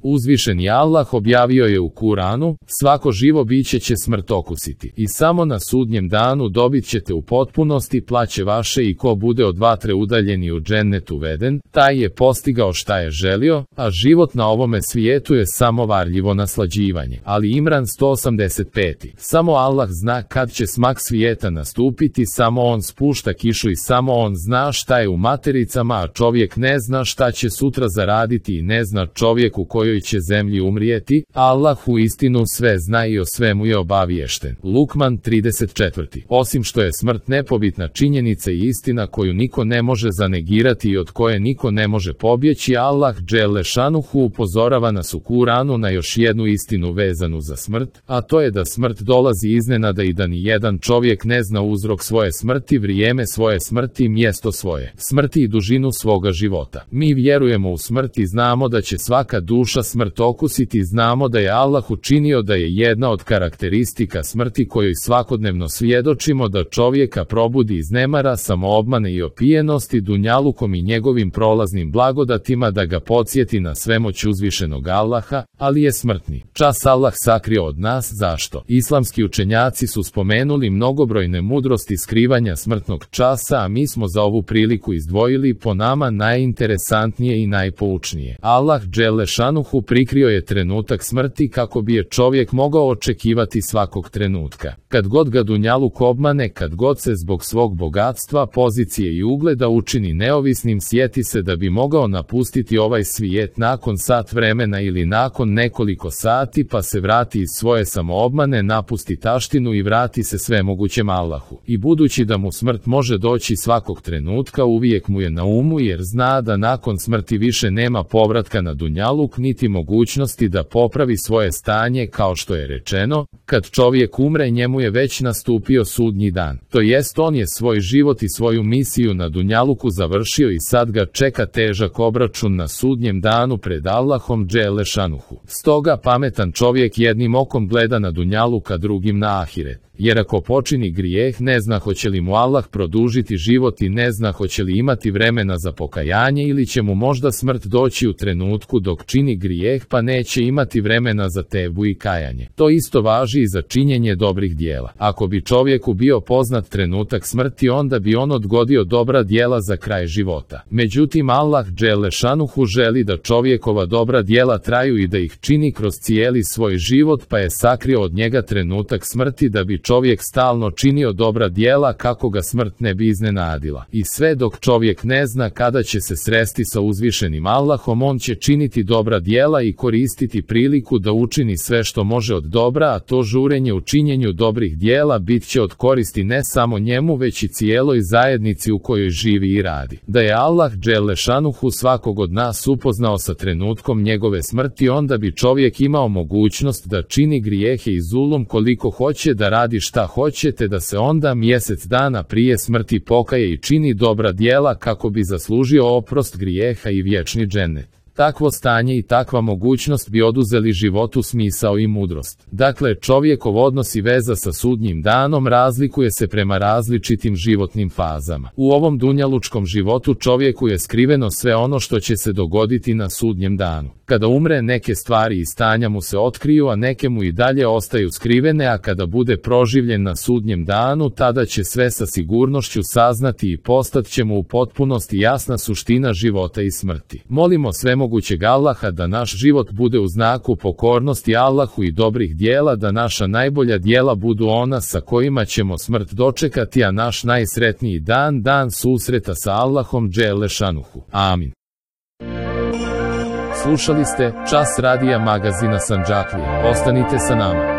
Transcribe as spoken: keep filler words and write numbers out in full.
Uzvišeni Allah objavio je u Kuranu, svako živo biće će smrt okusiti i samo na sudnjem danu dobit ćete u potpunosti plaće vaše i ko bude od vatre udaljen i u džennet uveden, taj je postigao šta je želio, a život na ovome svijetu je samo varljivo naslađivanje. Ali Imran sto osamdeset pet. Samo Allah zna kad će smak svijeta nastupiti, samo on spušta kišu i samo on zna šta je u matericama, a čovjek ne zna šta će sutra zaraditi i ne zna čovjek u kojoj će zemlji umrijeti. Allah u istinu sve zna i o svemu je obaviješten. Lukman trideset četiri. Osim što je smrt nepobitna činjenica i istina koju niko ne može zanegirati i od koje niko ne može pobjeći, Allah dželle šanuhu upozorava nas u Kuranu na još jednu istinu vezanu za smrt, a to je da smrt dolazi iznenada i da ni jedan čovjek ne zna uzrok svoje smrti, vrijeme svoje smrti i mjesto svoje smrti i dužinu svoga života. Mi vjerujemo u smrt i znamo da će svaka duša smrt okusiti i znamo da je Allah učinio da je jedna od karakteristika smrti kojoj svakodnevno svjedočimo da čovjeka probudi iz nemara, samoobmane i opijenosti dunjalukom i njegovim prolaznim blagodatima, da ga podsjeti na svemoć uzvišenog Allaha, ali je smrtni čas Allah sakrio od nas. Zašto? Islamski učenjaci su spomenuli mnogobrojne mudrosti skrivanja smrtnog časa, a mi smo za ovu priliku izdvojili po nama najinteresantnije i najpoučnije. Allah dželle šanuhu prikrio je trenutak smrti kako bi je čovjek mogao očekivati svakog trenutka. Kad god ga dunjaluk obmane, kad god se zbog svog bogatstva, pozicije i ugleda učini neovisnim, sjeti se da bi mogao napustiti ovaj svijet nakon sat vremena ili nakon nekoliko sati, pa se vrati iz svoje samoobmane, napusti taštinu i vrati se svemogućem Allahu. I budući da mu smrt može doći svakog trenutka, uvijek mu je na umu jer zna da nakon smrti više nema povratka na dunjaluk niti mogućnosti da popravi svoje stanje, kao što je rečeno, kad čovjek umre njemu je već nastupio sudnji dan. To jest on je svoj život i svoju misiju na dunjaluku završio i sad ga čeka težak obračun na sudnjem danu pred Allahom dželle šanuhu. Stoga pametan čovjek jednim okom gleda na dunjaluk, a drugim na ahiret. Jer ako počini grijeh, ne zna hoće li mu Allah produžiti život i ne zna hoće li imati vremena za pokajanje, ili će mu možda smrt doći u trenutku dok čini grijeh pa neće imati vremena za tebu i kajanje. To isto važi i za činjenje dobrih djela. Ako bi čovjeku bio poznat trenutak smrti, onda bi on odgodio dobra djela za kraj života. Međutim, Allah dželle šanuhu želi da čovjekova dobra djela traju i da ih čini kroz cijeli svoj život, pa je sakrio od njega trenutak smrti da bi čovjek stalno činio dobra djela kako ga smrt ne bi iznenadila. I sve dok čovjek ne zna kada će se sresti sa uzvišenim Allahom, on će činiti dobra djela i koristiti priliku da učini sve što može od dobra, a to žurenje u činjenju dobrih djela bit će od koristi ne samo njemu već i cijeloj zajednici u kojoj živi i radi. Da je Allah dželle šanuhu svakog od nas upoznao sa trenutkom njegove smrti, onda bi čovjek imao mogućnost da čini grijehe i zulum koliko hoće, da radi šta hoće, te da se onda mjesec dana prije smrti pokaje i čini dobra djela kako bi zaslužio oprost grijeha i vječni džennet. Takvo stanje i takva mogućnost bi oduzeli životu smisao i mudrost. Dakle, čovjekov odnos i veza sa sudnjim danom razlikuje se prema različitim životnim fazama. U ovom dunjalučkom životu čovjeku je skriveno sve ono što će se dogoditi na sudnjem danu. Kada umre, neke stvari i stanja mu se otkriju, a neke mu i dalje ostaju skrivene, a kada bude proživljen na sudnjem danu, tada će sve sa sigurnošću saznati i postat će mu u potpunosti jasna suština života i smrti. Molimo svemogućeg Allaha da naš život bude u znaku pokornosti Allahu i dobrih djela, da naša najbolja djela budu ona sa kojima ćemo smrt dočekati, a naš najsretniji dan, dan susreta sa Allahom dželle šanuhu. Amin. Slušali ste Čas radija magazina Sandžaklija. Ostanite sa nama.